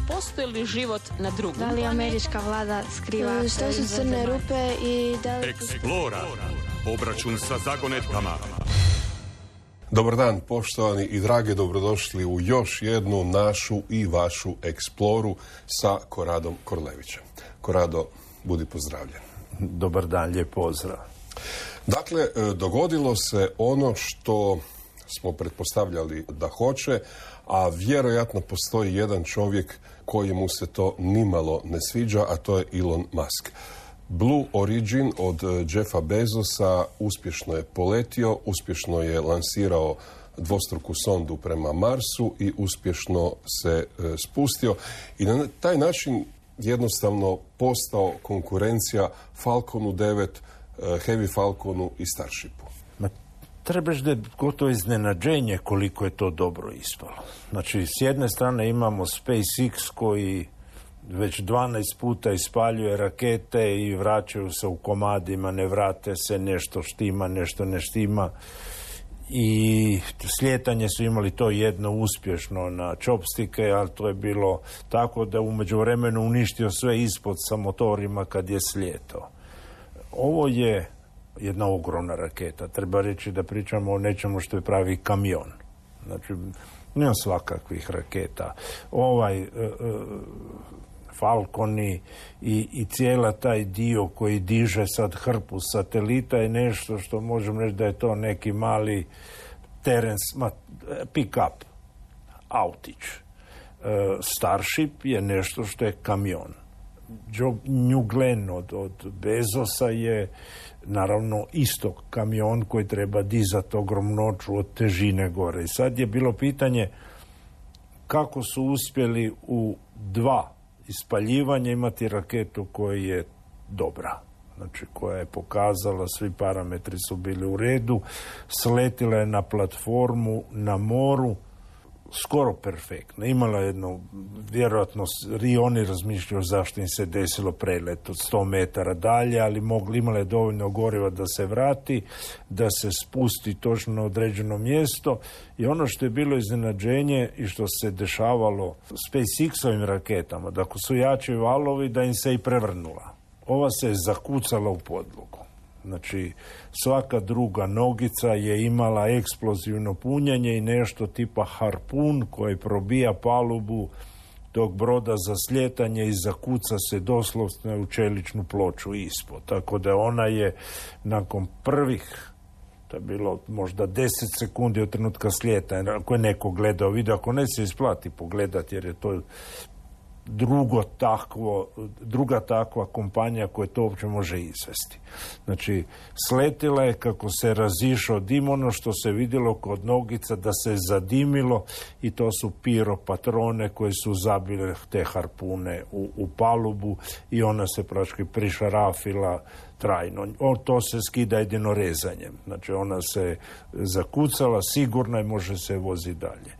postoji li život na drugom? Da li američka vlada skriva što su crne rupe i da li... Explora. Obračun sa zagonetkama. Dobar dan, poštovani i drage, dobrodošli u još jednu našu i vašu eksploru sa Koradom Korlevićem. Korado, budi pozdravljen. Dobar dan, lijep pozdrav. Dakle, dogodilo se ono što smo pretpostavljali da hoće, a vjerojatno postoji jedan čovjek kojemu se to nimalo ne sviđa, a to je Elon Musk. Blue Origin od Jeffa Bezosa uspješno je poletio, uspješno je lansirao dvostruku sondu prema Marsu i uspješno se spustio i na taj način jednostavno postao konkurencija Falconu 9, Heavy Falconu i Starshipu. Trebaš da je gotovo iznenađenje koliko je to dobro ispalo. Znači, s jedne strane imamo SpaceX koji već 12 puta ispaljuje rakete i vraćaju se u komadima, ne vrate se, nešto štima, nešto ne štima. I slijetanje su imali to jedno uspješno na čopstike, ali to je bilo tako da u međuvremenu uništio sve ispod sa motorima kad je slijetao. Ovo je jedna ogromna raketa. Treba reći da pričamo o nečemu što je pravi kamion. Znači, nema svakakvih raketa. Falconi i cijela taj dio koji diže sad hrpu satelita je nešto što možemo reći da je to neki mali pick-up, autić. Starship je nešto što je kamion. New Glenn od Bezosa je naravno isto kamion koji treba dizati ogromnoću od težine gore. I sad je bilo pitanje kako su uspjeli u 2 ispaljivanja imati raketu koja je dobra. Znači, koja je pokazala, svi parametri su bili u redu, sletila je na platformu na moru, skoro perfektno. Imala jedno, vjerojatno i oni razmišljaju zašto im se desilo prelet od 100 metara dalje, ali imala je dovoljno goriva da se vrati, da se spusti točno na određeno mjesto. I ono što je bilo iznenađenje i što se dešavalo SpaceX-ovim raketama, da ako su jači valovi, da im se i prevrnula. Ova se je zakucala u podlogu. Znači, svaka druga nogica je imala eksplozivno punjenje i nešto tipa harpun koji probija palubu tog broda za slijetanje i zakuca se doslovno u čeličnu ploču ispod. Tako da ona je nakon prvih, to je bilo možda 10 sekundi od trenutka slijetanja, ako je neko gledao video, ako ne se isplati pogledati jer je to druga takva kompanija koja to uopće može izvesti. Znači, sletila je kako se razišao dim, ono što se vidjelo kod nogica da se zadimilo i to su piropatrone koje su zabile te harpune u palubu i ona se praktički prišarafila trajno. To se skida jedino rezanjem. Znači, ona se zakucala, sigurna i može se voziti dalje.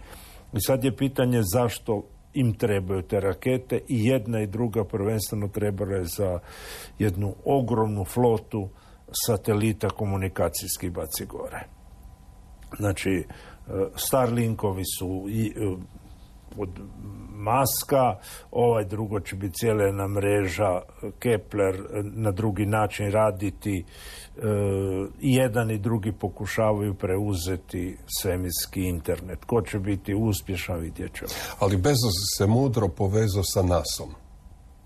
I sad je pitanje zašto im trebaju te rakete i jedna i druga prvenstveno trebale za jednu ogromnu flotu satelita komunikacijskih baci gore. Znači, Starlinkovi su od Muska, drugo će biti cijela mreža Kepler na drugi način raditi. I jedan i drugi pokušavaju preuzeti svemirski internet. Ko će biti uspješan, vidjet ćemo. Ali Bezos se mudro povezao sa NASA-om.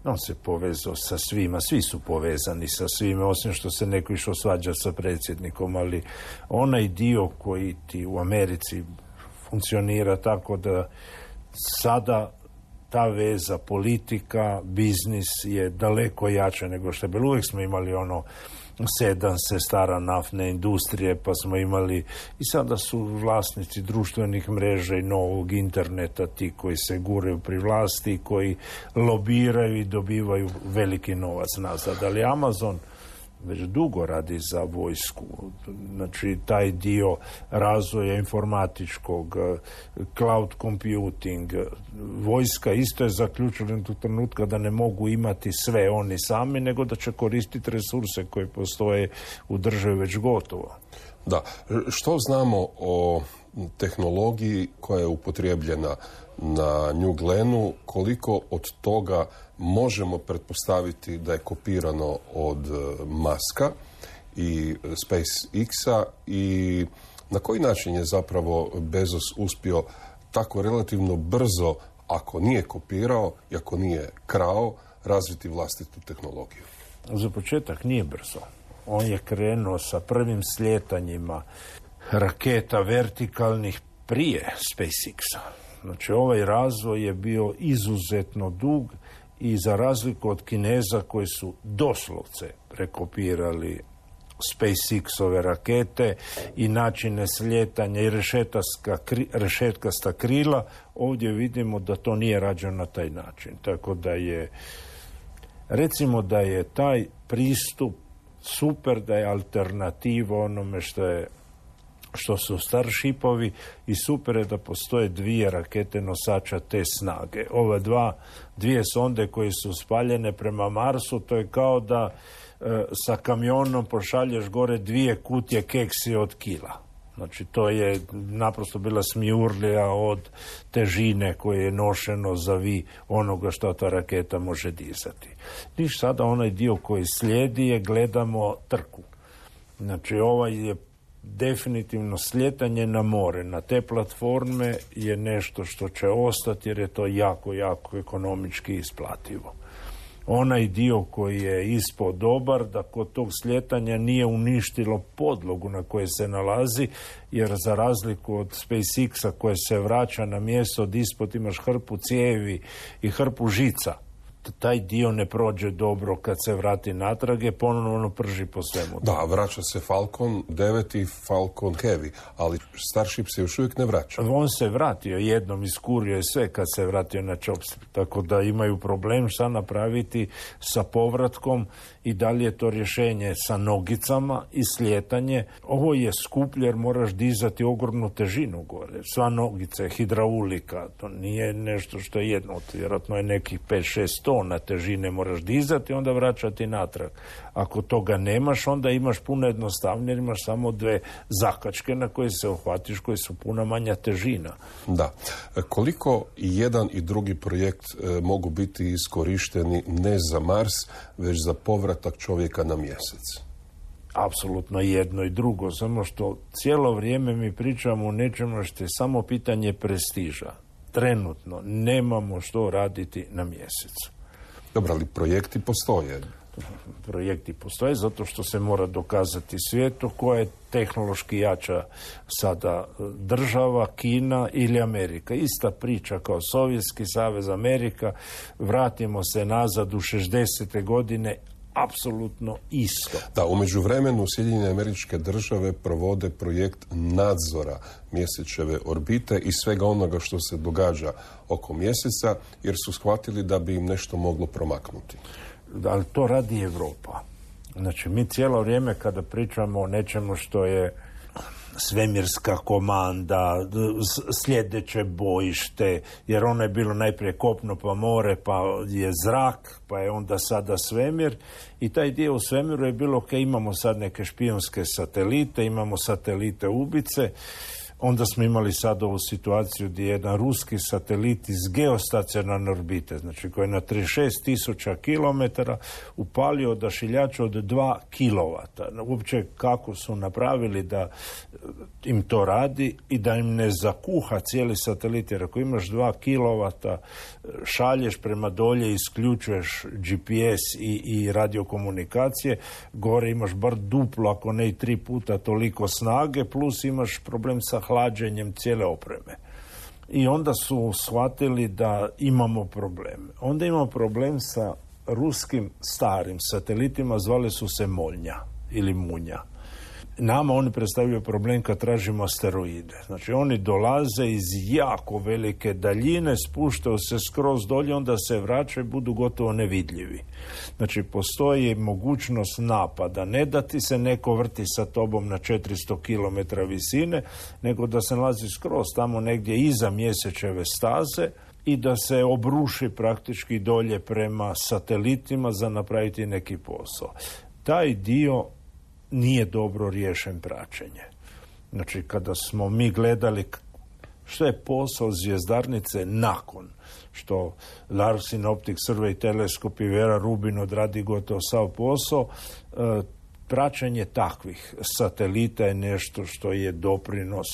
On se povezao sa svima, svi su povezani sa svima, osim što se neko išao svađa sa predsjednikom, ali onaj dio koji ti u Americi funkcionira tako da sada ta veza politika, biznis je daleko jača nego što je bilo. Uvijek smo imali sedam sestara naftne industrije, pa smo imali i sada su vlasnici društvenih mreža i novog interneta ti koji se guraju pri vlasti, koji lobiraju i dobivaju veliki novac nazad. Ali Amazon već dugo radi za vojsku. Znači, taj dio razvoja informatičkog, cloud computing, vojska isto je zaključila do trenutka da ne mogu imati sve oni sami, nego da će koristiti resurse koji postoje u državi već gotovo. Da. Što znamo o tehnologiji koja je upotrijebljena na New Glennu, koliko od toga možemo pretpostaviti da je kopirano od Muska i SpaceX-a i na koji način je zapravo Bezos uspio tako relativno brzo, ako nije kopirao i ako nije krao, razviti vlastitu tehnologiju? Za početak nije brzo. On je krenuo sa prvim sljetanjima raketa vertikalnih prije SpaceX-a. Znači, ovaj razvoj je bio izuzetno dug i za razliku od Kineza koji su doslovce prekopirali SpaceX-ove rakete i načine slijetanja i rešetkasta krila, ovdje vidimo da to nije rađeno na taj način. Tako da je, recimo da je taj pristup super, da je alternativa onome što su Starshipovi i super je da postoje dvije rakete nosača te snage. Ove dvije sonde koje su spaljene prema Marsu, to je kao da sa kamionom pošalješ gore 2 kutije keksi od kila. Znači, to je naprosto bila smijurlija od težine koje je nošeno za vi onoga što ta raketa može dizati. Niš sada onaj dio koji slijedi je gledamo trku. Znači, ovaj je definitivno slijetanje na more, na te platforme je nešto što će ostati jer je to jako, jako ekonomički isplativo. Onaj dio koji je ispod dobar, da kod tog slijetanja nije uništilo podlogu na kojoj se nalazi, jer za razliku od SpaceX-a koje se vraća na mjesto od ispod imaš hrpu cijevi i hrpu žica, taj dio ne prođe dobro kad se vrati natrag, je ponovno prži po svemu. Da, vraća se Falcon 9 i Falcon Heavy, ali Starship se još uvijek ne vraća. On se vratio jednom, iskurio je sve kad se vratio na Chops, tako da imaju problem šta napraviti sa povratkom i da li je to rješenje sa nogicama i slijetanje. Ovo je skuplje jer moraš dizati ogromnu težinu gore. Sva nogica je hidraulika, to nije nešto što je jedno, vjerojatno je nekih 5-6 tona težine moraš dizati i onda vraćati natrag. Ako toga nemaš, onda imaš puno jednostavnije, imaš samo 2 zakačke na koje se uhvatiš, koje su puno manja težina. Da. Koliko i jedan i drugi projekt mogu biti iskorišteni ne za Mars, već za povratak čovjeka na mjesec? Apsolutno jedno i drugo, samo što cijelo vrijeme mi pričamo o nečemu što je samo pitanje prestiža. Trenutno nemamo što raditi na mjesecu. Dobro, ali projekti postoje. Projekti postoje zato što se mora dokazati svijetu koja je tehnološki jača sada država, Kina ili Amerika. Ista priča kao Sovjetski savez, Amerika. Vratimo se nazad u 60. godine, apsolutno isto. Da, u međuvremenu Sjedinjene Američke Države provode projekt nadzora mjesečeve orbite i svega onoga što se događa oko mjeseca, jer su shvatili da bi im nešto moglo promaknuti. Ali to radi Europa. Znači, mi cijelo vrijeme kada pričamo o nečemu što je svemirska komanda, sljedeće bojište, jer ono je bilo najprije kopno pa more, pa je zrak, pa je onda sada svemir i taj dio u svemiru je bilo ok, imamo sad neke špijunske satelite, imamo satelite ubice. Onda smo imali sad ovu situaciju gdje je jedan ruski satelit iz geostacionarne orbite, znači koji je na 36.000 km upalio odašiljač od 2 kW. Uopće kako su napravili da im to radi i da im ne zakuha cijeli satelit, jer ako imaš 2 kW šalješ prema dolje, isključuješ GPS i radiokomunikacije, gore imaš bar duplo, ako ne i 3 puta toliko snage, plus imaš problem sa hlađenjem cijele opreme. I onda su shvatili da imamo problem. Onda imamo problem sa ruskim starim satelitima, zvali su se Molnja ili Munja. Nama oni predstavljaju problem kad tražimo asteroide. Znači oni dolaze iz jako velike daljine, spuštaju se skroz dolje, onda se vraćaju i budu gotovo nevidljivi. Znači postoji mogućnost napada, ne da ti se neko vrti sa tobom na 400 km visine, nego da se nalazi skroz tamo negdje iza mjesečeve staze i da se obruši praktički dolje prema satelitima za napraviti neki posao. Taj dio nije dobro riješen praćenje. Znači, kada smo mi gledali što je posao zvjezdarnice nakon što Larsin Optic Survey teleskop i Vera Rubin odradi gotovo sav posao, praćenje takvih satelita je nešto što je doprinos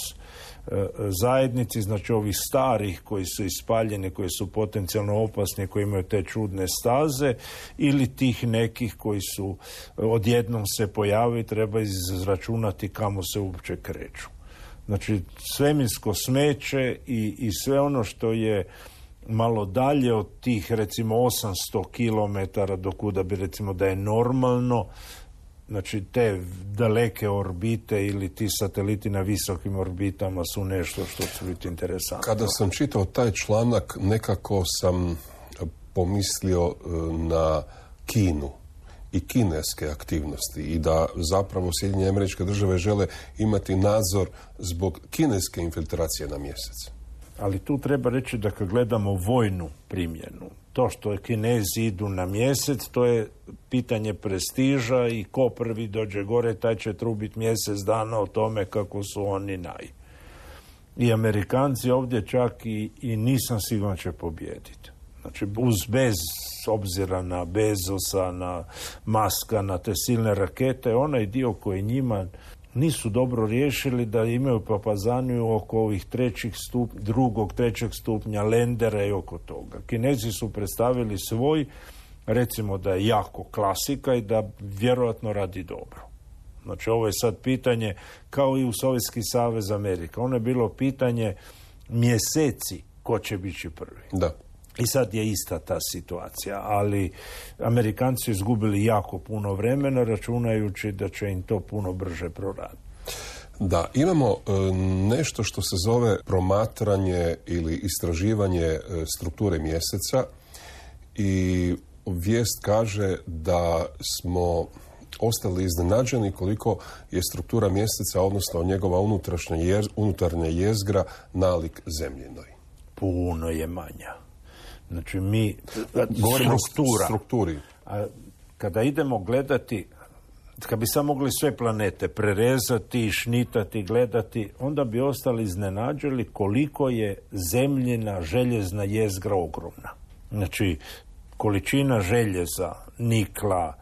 zajednici, znači ovih starih koji su ispaljeni, koji su potencijalno opasni, koji imaju te čudne staze, ili tih nekih koji su odjednom se pojavili, treba izračunati kamo se uopće kreću. Znači, svemirsko smeće i sve ono što je malo dalje od tih, recimo, 800 km do kuda bi, recimo, da je normalno, znači, te daleke orbite ili ti sateliti na visokim orbitama su nešto što će biti interesantno. Kada sam čitao taj članak, nekako sam pomislio na Kinu i kineske aktivnosti i da zapravo Sjedinjene Američke Države žele imati nadzor zbog kineske infiltracije na mjesec. Ali tu treba reći da kad gledamo vojnu primjenu, to što Kinezi idu na mjesec, to je pitanje prestiža i ko prvi dođe gore, taj će trubiti mjesec dana o tome kako su oni I Amerikanci ovdje čak i nisam siguran će pobijediti. Znači, bez obzira na Bezosa, na Muska, na te silne rakete, onaj dio koji njima nisu dobro riješili da imaju papazaniju oko ovih drugog, trećeg stupnja lendera i oko toga. Kinezi su predstavili svoj, recimo da je jako klasika i da vjerojatno radi dobro. Znači, ovo je sad pitanje, kao i u Sovjetski savez Amerika. Ono je bilo pitanje mjeseci ko će biti prvi. Da. I sad je ista ta situacija, ali Amerikanci su izgubili jako puno vremena računajući da će im to puno brže proraditi. Da, imamo nešto što se zove promatranje ili istraživanje strukture mjeseca i vijest kaže da smo ostali iznenađeni koliko je struktura mjeseca, odnosno njegova unutarnja jezgra nalik zemljinoj. Puno je manja. Znači mi govorimo o strukturi. A kada idemo gledati, kad bi samo mogli sve planete prerezati, šnitati, gledati, onda bi ostali iznenađeni koliko je zemljina željezna jezgra ogromna. Znači, količina željeza, nikla,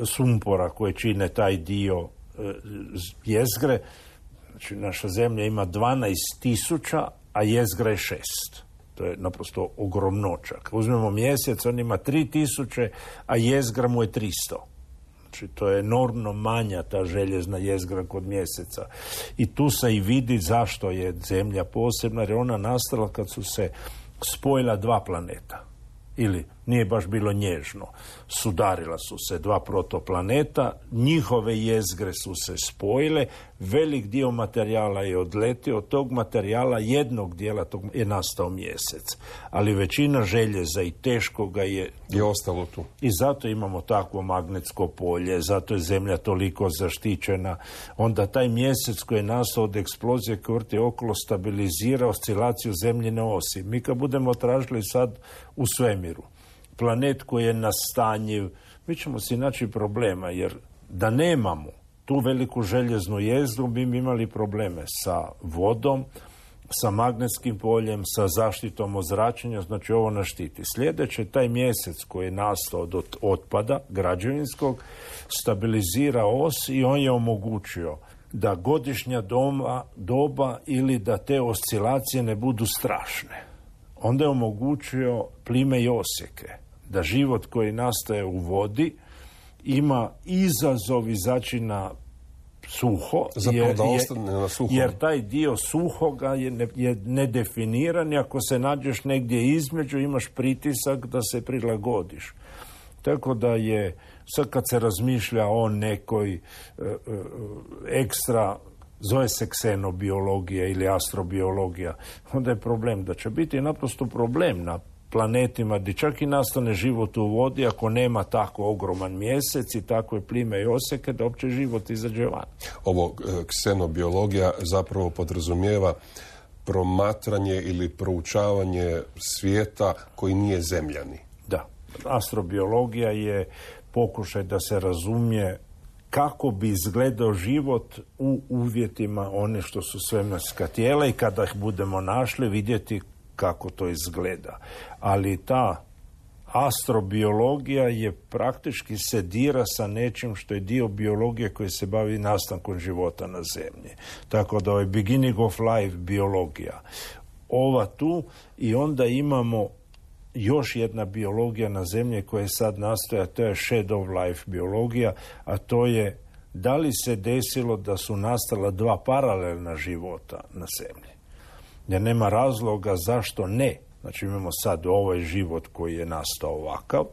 sumpora koje čine taj dio jezgre, znači naša zemlja ima 12.000, a jezgra je 6. To je naprosto ogromnočak. Uzmemo mjesec, on ima 3000, a jezgra mu je 300. Znači, to je enormno manja ta željezna jezgra kod mjeseca. I tu se i vidi zašto je zemlja posebna, jer je ona nastala kad su se spojila dva planeta. Ili, nije baš bilo nježno, sudarila su se dva protoplaneta, njihove jezgre su se spojile, velik dio materijala je odletio, od tog materijala jednog dijela tog je nastao mjesec. Ali većina željeza i teškoga je ostalo tu. I zato imamo takvo magnetsko polje, zato je zemlja toliko zaštićena. Onda taj mjesec koji je nastao od eksplozije koje vrti okolo stabilizira oscilaciju zemljine osi. Mi kad budemo tražili sad u svemiru planet koji je nastanjiv, mi ćemo si naći problema, jer da nemamo tu veliku željeznu jezgru, bi imali probleme sa vodom, sa magnetskim poljem, sa zaštitom od zračenja, znači ovo nas štiti. Sljedeće, taj mjesec koji je nastao od otpada građevinskog, stabilizira os i on je omogućio da godišnja doba ili da te oscilacije ne budu strašne. Onda je omogućio plime i osjeke, da život koji nastaje u vodi ima izazov izaći na suho, jer taj dio suhoga je nedefiniran i ako se nađeš negdje između imaš pritisak da se prilagodiš. Tako da je, sad kad se razmišlja o nekoj ekstra, zove se ksenobiologija ili astrobiologija, onda je problem da će biti naprosto problem na planetima gdje čak i nastane život u vodi ako nema tako ogroman mjesec i takve plime i oseke da uopće život izađe van. Ovo ksenobiologija zapravo podrazumijeva promatranje ili proučavanje svijeta koji nije zemljani. Da. Astrobiologija je pokušaj da se razumije kako bi izgledao život u uvjetima one što su svemirska tijela i kada ih budemo našli vidjeti kako to izgleda. Ali ta astrobiologija je praktički se dira sa nečim što je dio biologije koji se bavi nastankom života na zemlji. Tako da je beginning of life biologija. Ova tu i onda imamo još jedna biologija na zemlji koja sad nastoja, to je shadow life biologija, a to je da li se desilo da su nastala dva paralelna života na zemlji. Jer nema razloga zašto ne. Znači imamo sad ovaj život koji je nastao ovakav,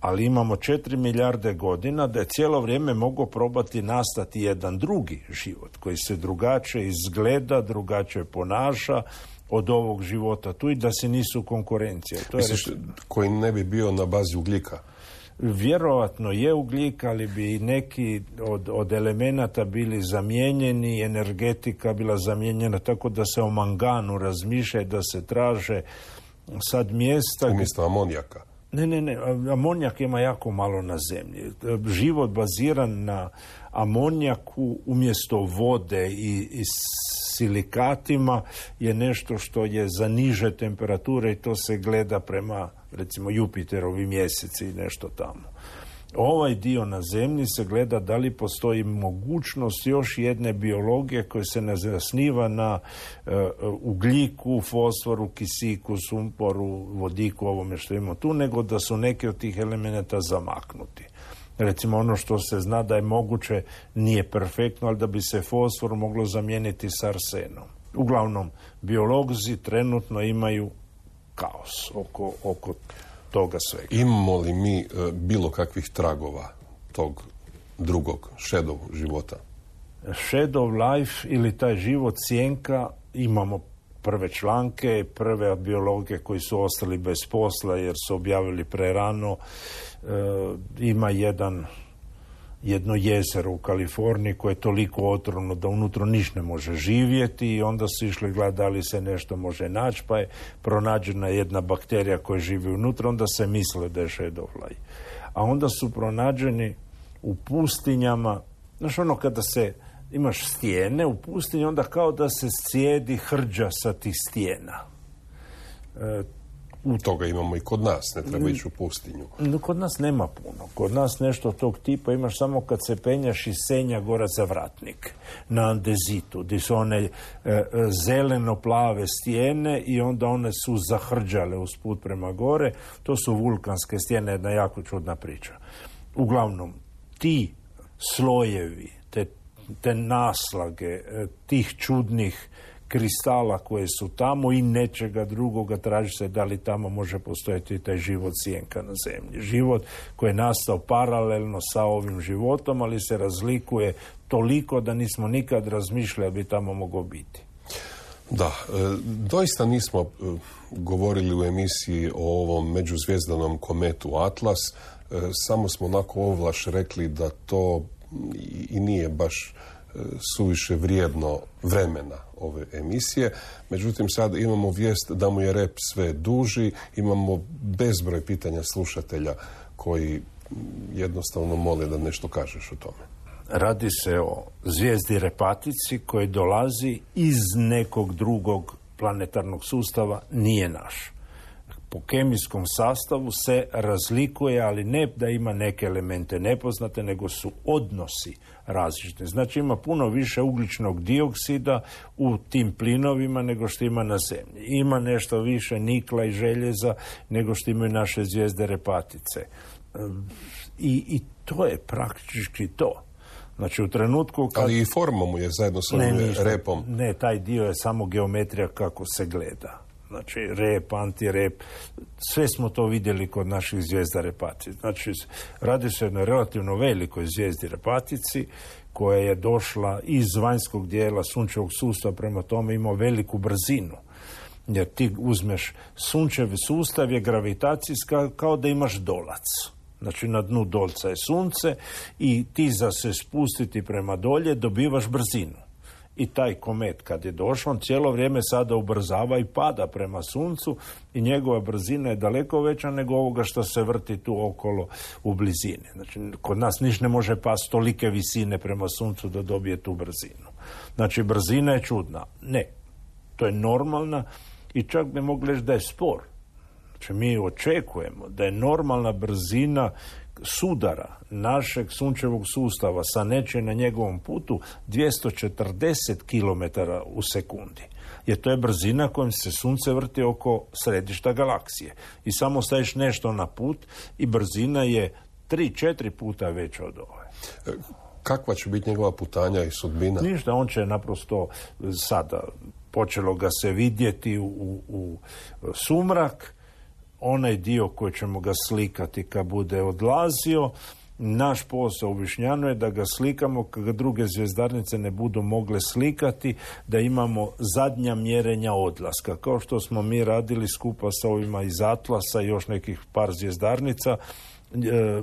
ali imamo 4 milijarde godina da je cijelo vrijeme mogao probati nastati jedan drugi život koji se drugačije izgleda, drugačije ponaša od ovog života tu i da se nisu konkurencije. Misliš, koji ne bi bio na bazi ugljika? Vjerojatno je ugljik, ali bi neki od elemenata bili zamijenjeni, energetika bila zamijenjena, tako da se o manganu razmišlja, da se traže sad mjesta... Umjesto amonijaka? Ne, amonijak ima jako malo na zemlji. Život baziran na amonijaku umjesto vode i silikatima je nešto što je za niže temperature i to se gleda prema, recimo, Jupiterovi mjeseci i nešto tamo. Ovaj dio na zemlji se gleda da li postoji mogućnost još jedne biologije koja se ne zasniva na ugljiku, fosforu, kisiku, sumporu, vodiku, ovome što imamo tu, nego da su neki od tih elemenata zamaknuti. Recimo ono što se zna da je moguće, nije perfektno, ali da bi se fosfor moglo zamijeniti s arsenom. Uglavnom, biolozi trenutno imaju kaos oko toga svega. Imamo li mi bilo kakvih tragova tog drugog shadow života? Shadow life ili taj život sjenka, imamo prve članke, prve biologe koji su ostali bez posla jer su objavili prerano. Ima jedno jezero u Kaliforniji koje je toliko otrovno da unutra ništa ne može živjeti i onda su išli gledati da li se nešto može naći, pa je pronađena jedna bakterija koja živi unutra, onda se misle da je shadow life. A onda su pronađeni u pustinjama, znaš ono kada se imaš stijene u pustinji, onda kao da se cijedi hrđa sa tih stijena. Toga imamo i kod nas, ne treba ići u pustinju. Kod nas nema puno. Kod nas nešto tog tipa imaš samo kad se penjaš iz Senja gora za Vratnik, na Andezitu, gdje su one zeleno-plave stijene i onda one su zahrđale usput prema gore. To su vulkanske stijene, jedna jako čudna priča. Uglavnom, ti slojevi, te naslage, tih čudnih kristala koje su tamo i nečega drugoga, traži se da li tamo može postojati taj život sjenka na zemlji. Život koji je nastao paralelno sa ovim životom, ali se razlikuje toliko da nismo nikad razmišljali da bi tamo moglo biti. Da, doista nismo govorili u emisiji o ovom međuzvjezdanom kometu Atlas, samo smo onako ovlaš rekli da to i nije baš suviše vrijedno vremena ove emisije. Međutim, sad imamo vijest da mu je rep sve duži, imamo bezbroj pitanja slušatelja koji jednostavno mole da nešto kažeš o tome. Radi se o zvijezdi Repatici koji dolazi iz nekog drugog planetarnog sustava, nije naš. Po kemijskom sastavu se razlikuje, ali ne da ima neke elemente nepoznate, nego su odnosi različiti. Znači ima puno više ugljičnog dioksida u tim plinovima nego što ima na zemlji. Ima nešto više nikla i željeza nego što imaju naše zvijezde Repatice. I to je praktički to. Znači u trenutku kad... Ali i forma mu je zajedno s ovim repom. Ne, taj dio je samo geometrija kako se gleda. Znači, rep, antirep, sve smo to vidjeli kod naših zvijezda Repatici. Znači, radi se o jednoj relativno velikoj zvijezdi Repatici, koja je došla iz vanjskog dijela sunčevog sustava, prema tome ima veliku brzinu. Jer ti uzmeš sunčevi sustav je gravitacijska kao da imaš dolac. Znači, na dnu dolca je sunce i ti za se spustiti prema dolje dobivaš brzinu. I taj komet kad je došao, on cijelo vrijeme sada ubrzava i pada prema suncu i njegova brzina je daleko veća nego ovoga što se vrti tu okolo u blizini. Znači, kod nas niš ne može pasti tolike visine prema suncu da dobije tu brzinu. Znači, brzina je čudna. Ne, to je normalna i čak bi mogli reći da je spor. Znači, mi očekujemo da je normalna brzina sudara našeg sunčevog sustava sa nečim na njegovom putu 240 km u sekundi. Jer to je brzina kojom se sunce vrti oko središta galaksije. I samo staviš nešto na put i brzina je 3-4 puta veća od ove. Kakva će biti njegova putanja i sudbina? Ništa, on će naprosto sada, počelo ga se vidjeti u sumrak, onaj dio koji ćemo ga slikati kad bude odlazio. Naš posao u Višnjanu je da ga slikamo kad ga druge zvjezdarnice ne budu mogle slikati, da imamo zadnja mjerenja odlaska. Kao što smo mi radili skupa sa ovima iz Atlasa i još nekih par zvjezdarnica,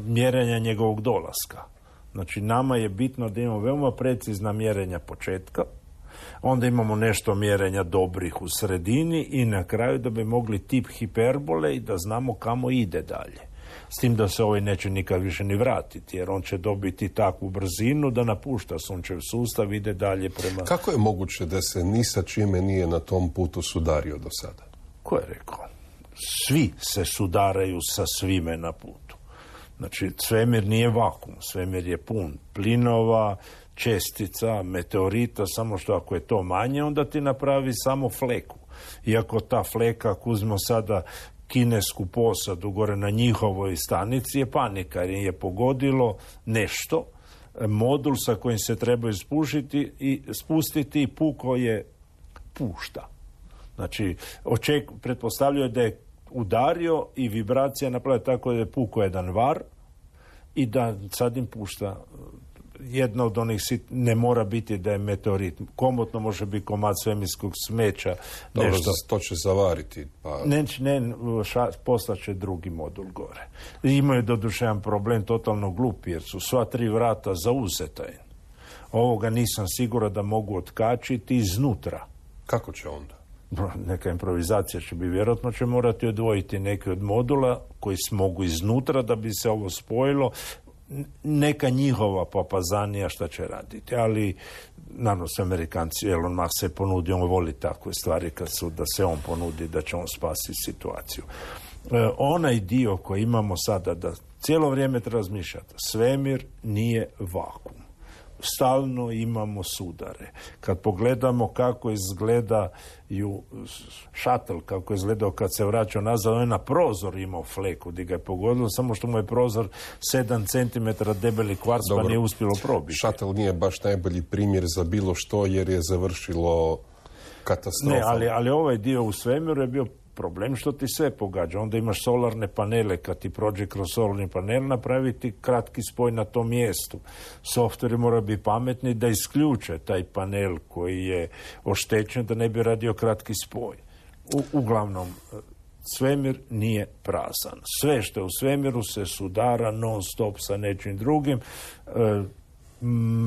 mjerenja njegovog dolaska. Znači, nama je bitno da imamo veoma precizna mjerenja početka, onda imamo nešto mjerenja dobrih u sredini i na kraju da bi mogli tip hiperbole i da znamo kamo ide dalje. S tim da se ovaj neće nikad više ni vratiti, jer on će dobiti takvu brzinu da napušta sunčev sustav, ide dalje prema... Kako je moguće da se ni sa čime nije na tom putu sudario do sada? Ko je rekao? Svi se sudaraju sa svime na putu. Znači, svemir nije vakum, svemir je pun plinova, čestica, meteorita, samo što ako je to manje, onda ti napravi samo fleku. Iako ta fleka, ako uzmemo sada kinesku posadu gore na njihovoj stanici, je panika, jer je pogodilo nešto, modul sa kojim se treba spustiti i puko je pušta. Znači, pretpostavljaju da je udario i vibracija napravila tako da je puko jedan var i da sad im pušta. Jedna od onih ne mora biti da je meteorit. Komotno može biti komad svemirskog smeća. Dobro, to će zavariti. Pa... Poslaće drugi modul gore. Imaju doduše jedan problem totalno glupi, jer su sva 3 vrata zauzeta. Ovoga nisam siguran da mogu otkačiti iznutra. Kako će onda? Neka improvizacija će biti, vjerojatno će morati odvojiti neke od modula koji mogu iznutra da bi se ovo spojilo. Neka njihova papazanija šta će raditi, ali naravno se Amerikanci, Elon Musk se ponudi, on voli takve stvari da se on ponudi da će on spasiti situaciju. Onaj dio koji imamo sada, da cijelo vrijeme treba razmišljati, svemir nije vakum. Stalno imamo sudare. Kad pogledamo kako izgledaju šatel, kako je izgledao kad se vraćao nazad, on je na prozor imao fleku gdje ga je pogodilo, samo što mu je prozor 7 cm debeli kvarc, pa nije uspjelo probiti. Šatel nije baš najbolji primjer za bilo što, jer je završilo katastrofa. Ne, ali ovaj dio u svemiru je bio problem što ti sve pogađa. Onda imaš solarne panele, kad ti prođe kroz solarni panel, napraviti kratki spoj na tom mjestu. Softveri mora biti pametni da isključe taj panel koji je oštećen, da ne bi radio kratki spoj. Uglavnom, svemir nije prazan. Sve što je u svemiru se sudara non stop sa nečim drugim.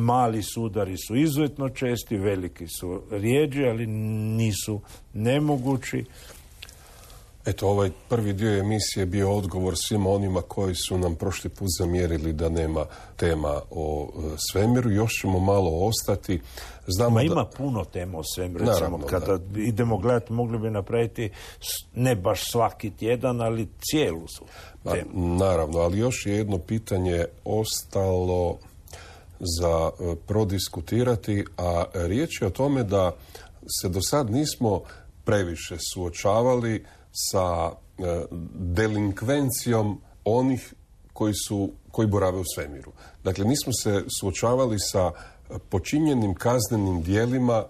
Mali sudari su izuzetno česti, veliki su rijeđi, ali nisu nemogući. Eto, ovaj prvi dio emisije bio odgovor svima onima koji su nam prošli put zamjerili da nema tema o svemiru. Još ćemo malo ostati. Znamo ima puno tema o svemiru. Naravno, kada idemo gledati, mogli bi napraviti ne baš svaki tjedan, ali cijelu su temu. Naravno, ali još je jedno pitanje ostalo za prodiskutirati, a riječ je o tome da se do sad nismo previše suočavali sa delinkvencijom onih koji borave u svemiru. Dakle, nismo se suočavali sa počinjenim kaznenim djelima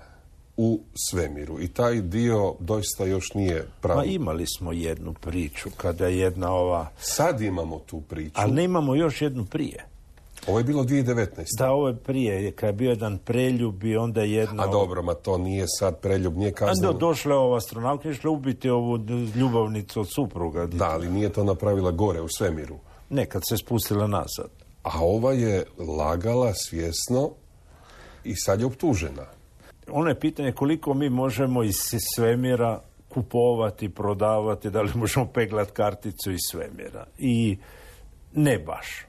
u svemiru. I taj dio doista još nije pravi. Ma imali smo jednu priču kada je jedna ova... Sad imamo tu priču. Ali ne imamo još jednu prije. Ovo je bilo 2019. Da, ovo je prije. Kad je bio jedan preljub i onda jedna... A dobro, ma to nije sad preljub, nije kazneno. Došla je ova astronautka i išla ubiti ovu ljubavnicu od supruga. Da, ali nije to napravila gore u svemiru. Ne, kad se spustila nazad. A ova je lagala svjesno i sad je optužena. Ono je pitanje koliko mi možemo iz svemira kupovati, prodavati, da li možemo peglati karticu iz svemira. I ne baš.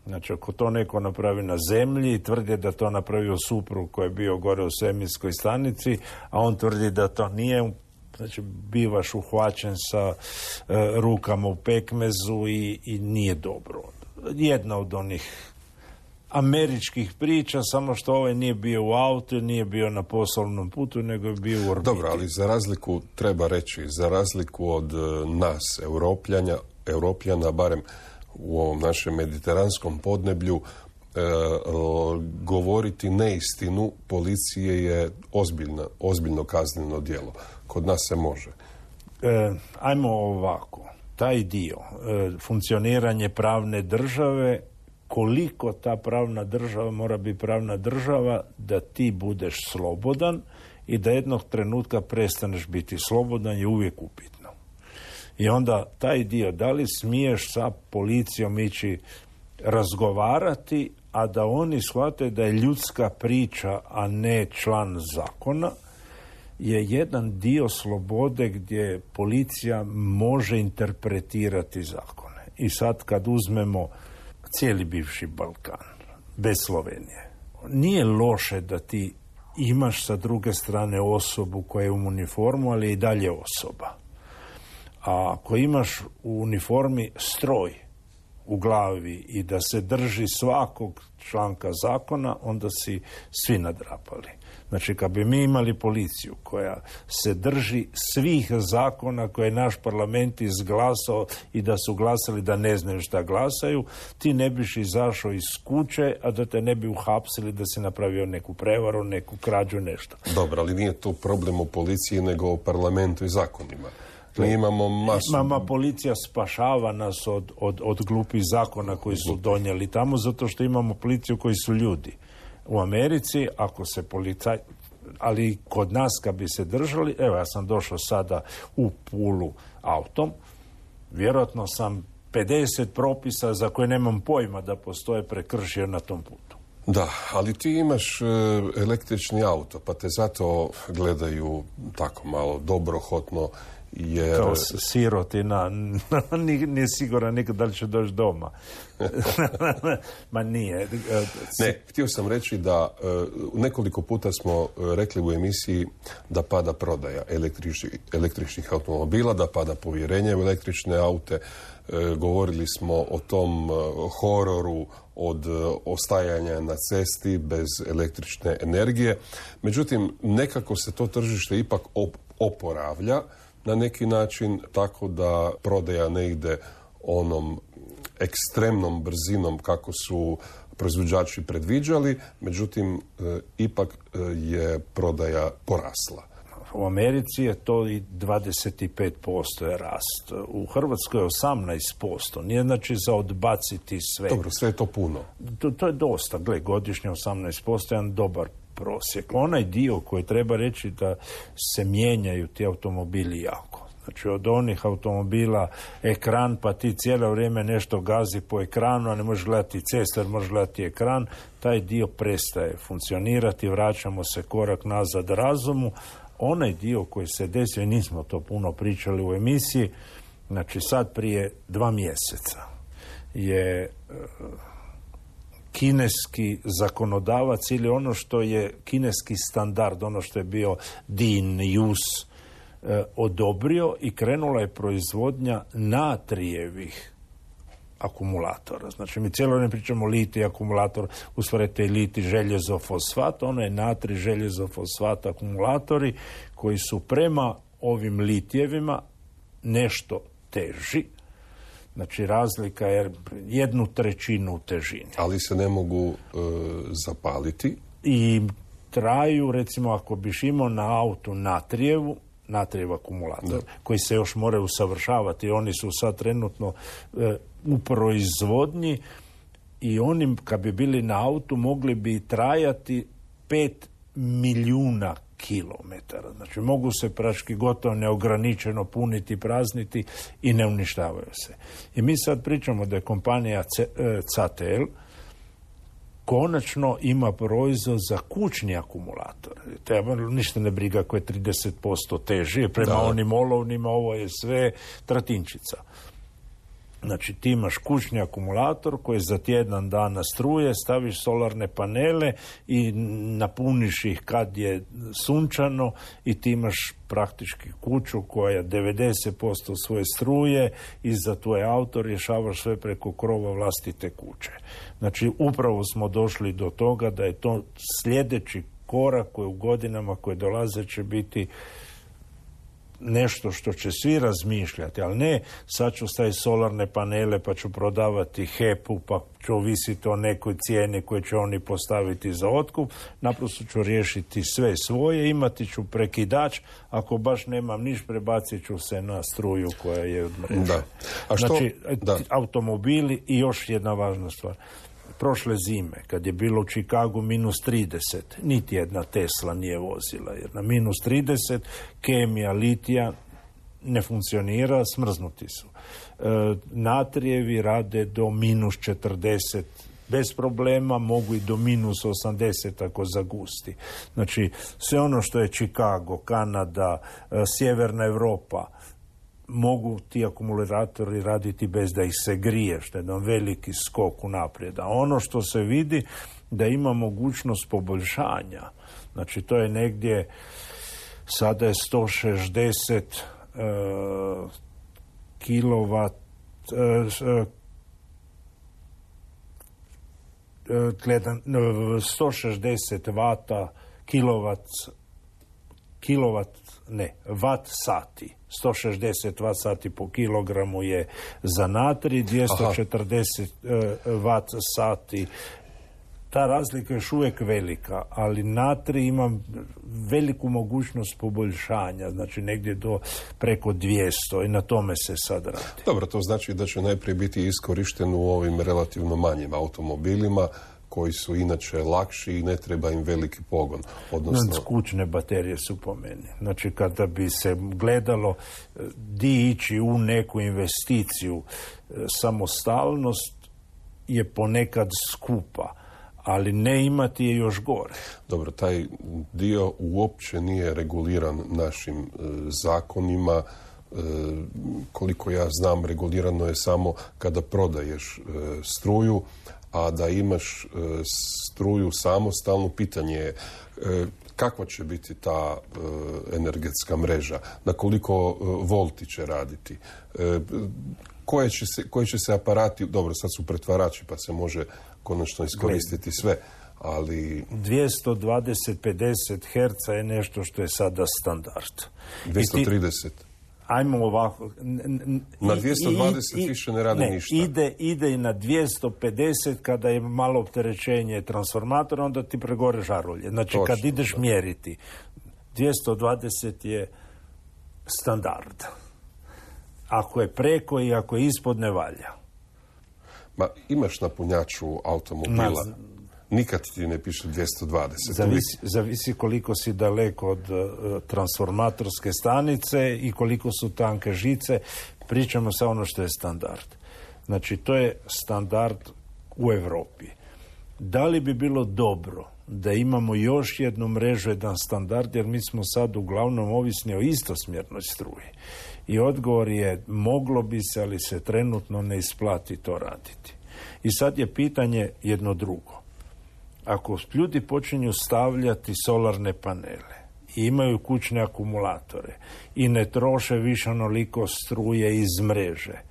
Znači, ako to neko napravi na zemlji i tvrdi da to napravio suprug koji je bio gore u svemirskoj stanici, a on tvrdi da to nije, znači bivaš uhvaćen sa rukama u pekmezu i nije dobro. Jedna od onih američkih priča, samo što ovaj nije bio u autu, nije bio na poslovnom putu, nego je bio u orbiti. Dobro, ali za razliku, treba reći, za razliku od nas, Europljana, barem u ovom našem mediteranskom podneblju, govoriti neistinu policije je ozbiljno kazneno djelo. Kod nas se može. Ajmo ovako. Taj dio, funkcioniranje pravne države, koliko ta pravna država mora biti pravna država da ti budeš slobodan i da jednog trenutka prestaneš biti slobodan je uvijek upitno. I onda taj dio, da li smiješ sa policijom ići razgovarati, a da oni shvate da je ljudska priča, a ne član zakona, je jedan dio slobode gdje policija može interpretirati zakone. I sad kad uzmemo cijeli bivši Balkan, bez Slovenije, nije loše da ti imaš sa druge strane osobu koja je u uniformu, ali je i dalje osoba. A ako imaš u uniformi stroj u glavi i da se drži svakog članka zakona, onda si svi nadrapali. Znači, kad bi mi imali policiju koja se drži svih zakona koje je naš parlament izglasao i da su glasali da ne znaju šta glasaju, ti ne biš izašao iz kuće, a da te ne bi uhapsili da si napravio neku prevaru, neku krađu, nešto. Dobro, ali nije to problem u policiji, nego u parlamentu i zakonima. Mi imamo masu... Policija spašava nas od glupih zakona koji su donijeli tamo, zato što imamo policiju koji su ljudi. U Americi, ako se ali kod nas kad bi se držali, evo ja sam došao sada u Pulu autom, vjerojatno sam 50 propisa za koje nemam pojma da postoje prekršio na tom putu. Da, ali ti imaš električni auto, pa te zato gledaju tako malo dobrohotno, jer... Kao sirotina, nije siguran nikad da li će doći doma. Ma nije. Ne, htio sam reći da nekoliko puta smo rekli u emisiji da pada prodaja električnih automobila, da pada povjerenje u električne aute. Govorili smo o tom hororu od ostajanja na cesti bez električne energije. Međutim, nekako se to tržište ipak oporavlja na neki način, tako da prodaja ne ide onom ekstremnom brzinom kako su proizvođači predviđali, međutim, ipak je prodaja porasla. U Americi je to i 25% je rast. U Hrvatskoj je 18%. Nije znači za odbaciti sve. Dobro, sve je to puno. To je dosta. Gle, godišnje 18% je jedan dobar prosjek. Onaj dio koji treba reći da se mijenjaju ti automobili jako. Znači od onih automobila ekran, pa ti cijelo vrijeme nešto gazi po ekranu, a ne možeš gledati cestu jer možeš gledati ekran, taj dio prestaje funkcionirati, vraćamo se korak nazad razumu. Onaj dio koji se desio, i nismo to puno pričali u emisiji, znači sad prije 2 mjeseca je kineski zakonodavac ili ono što je kineski standard, ono što je bio DIN, JUS, odobrio i krenula je proizvodnja natrijevih akumulatora. Znači, mi cijelo vrijeme pričamo litij akumulator, ustvarite litij željezo fosfat, ono je natrij željezo fosfat akumulatori koji su prema ovim litijevima nešto teži. Znači, razlika je 1/3 u težini. Ali se ne mogu zapaliti? I traju, recimo, ako biš imao na autu natrijev akumulator, koji se još moraju usavršavati. Oni su sad trenutno u proizvodnji i oni, kad bi bili na autu, mogli bi trajati 5 milijuna kilometara. Znači, mogu se praški gotovo neograničeno puniti, prazniti i ne uništavaju se. I mi sad pričamo da je kompanija CATL konačno ima proizvod za kućni akumulator. Treba ništa ne briga ako je 30% teži, prema onim olovnima ovo je sve tratinčica. Znači ti imaš kućni akumulator koji za tjedan dana struje, staviš solarne panele i napuniš ih kad je sunčano i ti imaš praktički kuću koja 90% svoje struje i za tvoj auto rješavaš sve preko krova vlastite kuće. Znači upravo smo došli do toga da je to sljedeći korak koji u godinama koje dolaze će biti nešto što će svi razmišljati, ali ne sad ću staviti solarne panele pa ću prodavati HEP-u pa ću ovisiti o nekoj cijeni koju će oni postaviti za otkup, naprosto ću riješiti sve svoje, imati ću prekidač, ako baš nemam niš prebacit ću se na struju koja je od mreže. Da. A što? Znači, automobili i još jedna važna stvar. Prošle zime, kad je bilo u Chicagu -30, niti jedna Tesla nije vozila, jer na -30 kemija litija ne funkcionira, smrznuti su. Natrijevi rade do -40 bez problema, mogu i do -80 ako zagusti. Znači, sve ono što je Chicago, Kanada, Sjeverna Europa, mogu ti akumulatori raditi bez da ih se grije, što je jedan veliki skok unaprijed. A ono što se vidi da ima mogućnost poboljšanja. Znači to je negdje, sada je 160 kilovat 160 vata watt sati. 160 watt sati po kilogramu je za natrij, 240 watt sati. Ta razlika je još uvijek velika, ali natrij ima veliku mogućnost poboljšanja, znači negdje do preko 200 i na tome se sad radi. Dobro, to znači da će najprije biti iskorišten u ovim relativno manjim automobilima koji su inače lakši i ne treba im veliki pogon. Odnosno... Kućne baterije su po meni. Znači, kada bi se gledalo di ići u neku investiciju, samostalnost je ponekad skupa, ali ne imati je još gore. Dobro, taj dio uopće nije reguliran našim zakonima. Koliko ja znam, regulirano je samo kada prodaješ struju, a da imaš struju samostalno, pitanje je kakva će biti ta energetska mreža, na koliko volti će raditi, koji će se aparati, dobro, sad su pretvarači pa se može konačno iskoristiti sve, ali... 220-50 Hz je nešto što je sada standard. 230. Ajmo ovako. Na 220 više ne radi ništa. Ide i na 250 kada je malo opterećenje transformatora, onda ti pregore žarulje. Znači, točno, kad ideš mjeriti, 220 je standard. Ako je preko i ako je ispod, ne valja. Ma, imaš na punjaču automobila. Nikad ti ne piše 220. Zavisi koliko si daleko od transformatorske stanice i koliko su tanke žice. Pričamo sa ono što je standard. Znači, to je standard u Europi. Da li bi bilo dobro da imamo još jednu mrežu, jedan standard, jer mi smo sad uglavnom ovisni o istosmjernoj struji. I odgovor je, moglo bi se, ali se trenutno ne isplati to raditi. I sad je pitanje jedno drugo. Ako ljudi počinju stavljati solarne panele i imaju kućne akumulatore i ne troše više onoliko struje iz mreže,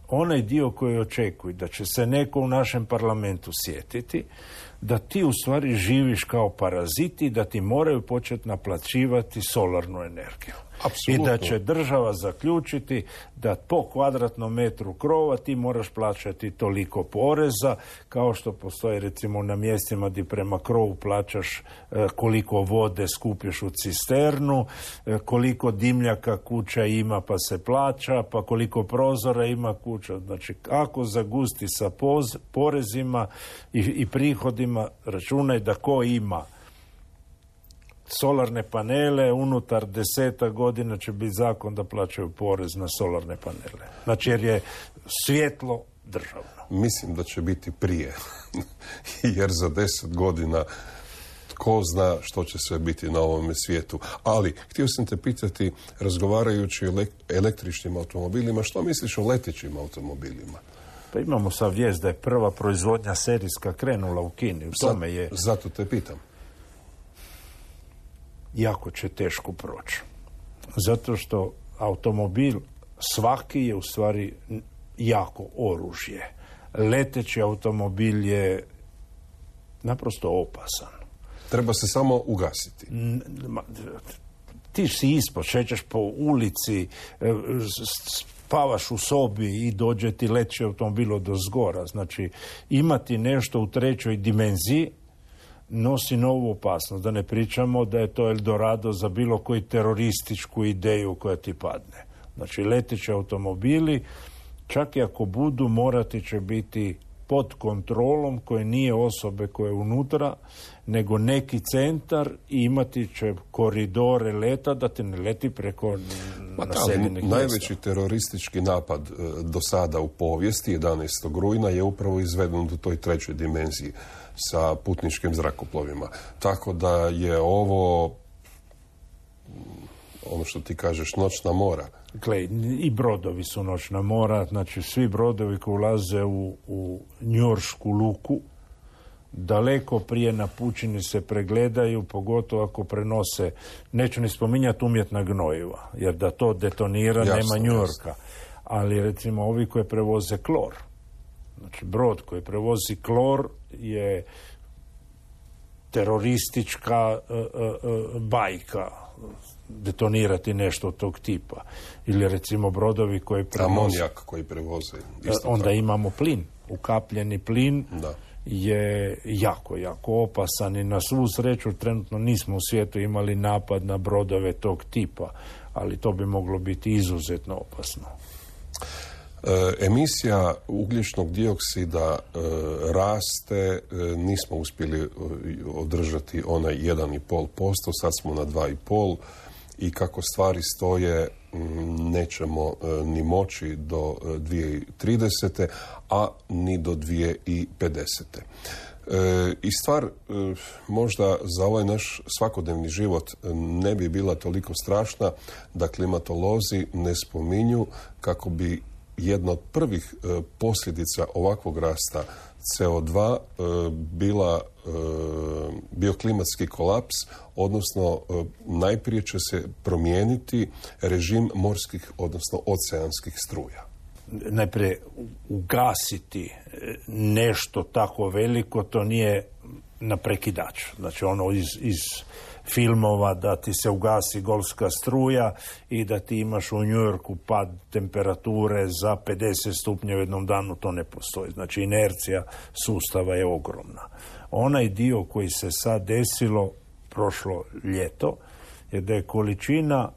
onaj dio koji očekuju da će se neko u našem parlamentu sjetiti, da ti u stvari živiš kao paraziti, da ti moraju početi naplaćivati solarnu energiju. Apsolutno. I da će država zaključiti da po kvadratnom metru krova ti moraš plaćati toliko poreza, kao što postoji recimo na mjestima gdje prema krovu plaćaš koliko vode skupiš u cisternu, koliko dimljaka kuća ima pa se plaća, pa koliko prozora ima kuća. Znači, ako zagusti sa porezima i prihodima, računaj da ko ima solarne panele, unutar 10 godina će biti zakon da plaćaju porez na solarne panele. Znači, jer je svjetlo državno. Mislim da će biti prije, jer za 10 godina tko zna što će sve biti na ovome svijetu. Ali, htio sam te pitati, razgovarajući o električnim automobilima, što misliš o letećim automobilima? Pa imamo sad vijest da je prva proizvodnja serijska krenula u Kini. U tome je... Zato te pitam. Jako će teško proći. Zato što automobil svaki je u stvari jako oružje. Leteći automobil je naprosto opasan. Treba se samo ugasiti. Ti si ispod, šećeš po ulici, spavaš u sobi i dođe ti leteći automobil odozgora. Znači, imati nešto u trećoj dimenziji nosi novu opasnost. Da ne pričamo da je to Eldorado za bilo koju terorističku ideju koja ti padne. Znači, leteći automobili, čak i ako budu, morati će biti pod kontrolom koje nije osobe koje je unutra, nego neki centar i imati će koridore leta da ti ne leti preko naseljenih mjesta. Najveći teroristički napad do sada u povijesti, 11. rujna, je upravo izveden u toj trećoj dimenziji sa putničkim zrakoplovima. Tako da je ovo, ono što ti kažeš, noćna mora. Dakle, i brodovi su noćna mora, znači svi brodovi koji ulaze u njujoršku luku, daleko prije na pučini se pregledaju, pogotovo ako prenose, neću ni spominjati umjetna gnojiva, jer da to detonira nema Njujorka. Ali recimo ovi koji prevoze klor, znači brod koji prevozi klor je teroristička bajka, detonirati nešto od tog tipa. Ili recimo brodovi koji prevoze... Amonijak koji prevoze. Onda tako. imamo plin. Ukapljeni plin je jako, jako opasan i na svu sreću trenutno nismo u svijetu imali napad na brodove tog tipa, ali to bi moglo biti izuzetno opasno. Emisija ugljičnog dioksida raste, nismo uspjeli održati onaj 1,5%, sad smo na 2,5% i kako stvari stoje nećemo ni moći do 2030. a ni do 2050. I stvar možda za ovaj naš svakodnevni život ne bi bila toliko strašna da klimatolozi ne spominju kako bi jedna od prvih posljedica ovakvog rasta CO2 bio klimatski kolaps, odnosno najprije će se promijeniti režim morskih, odnosno oceanskih struja. Najprije ugasiti nešto tako veliko, to nije na prekidač. Znači ono iz filmova da ti se ugasi golfska struja i da ti imaš u Njujorku pad temperature za 50 stupnjeva u jednom danu, to ne postoji. Znači inercija sustava je ogromna. Onaj dio koji se sad desilo prošlo ljeto je da je količina